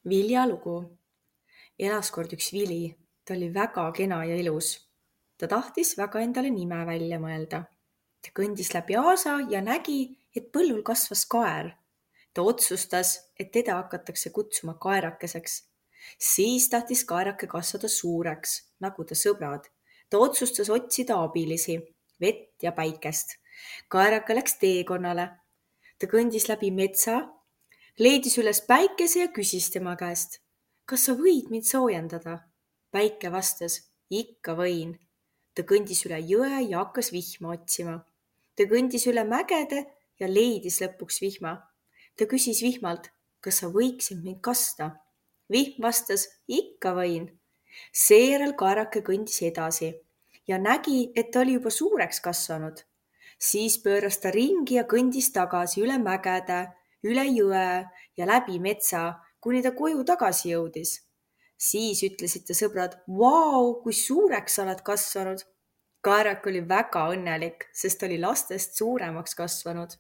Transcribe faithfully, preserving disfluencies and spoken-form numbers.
Viljalugu. Elas kord üks vili. Ta oli väga kena ja ilus. Ta tahtis väga endale nime välja mõelda. Ta kõndis läbi aasa ja nägi, et põllul kasvas kaer. Ta otsustas, et teda hakatakse kutsuma kaerakeseks. Siis tahtis kaerake kasvada suureks, nagu ta sõbrad. Ta otsustas otsida abilisi, vett ja päikest. Kaerake läks teekonnale. Ta kõndis läbi metsa, leidis üles päikese ja küsis tema käest. Kas sa võid mind soojendada? Päike vastas, ikka võin. Ta kõndis üle jõe ja hakkas vihma otsima. Ta kõndis üle mägede ja leidis lõpuks vihma. Ta küsis vihmalt, kas sa võiksid mind kasta? Vihm vastas, ikka võin. Seejärel kaerake kõndis edasi ja nägi, et ta oli juba suureks kasvanud. Siis pööras ta ringi ja kõndis tagasi üle mägede, üle jõe ja läbi metsa, kuni ta koju tagasi jõudis. Siis ütlesid ta sõbrad, vau, kui suureks sa oled kasvanud. Kaerak oli väga õnnelik, sest ta oli lastest suuremaks kasvanud.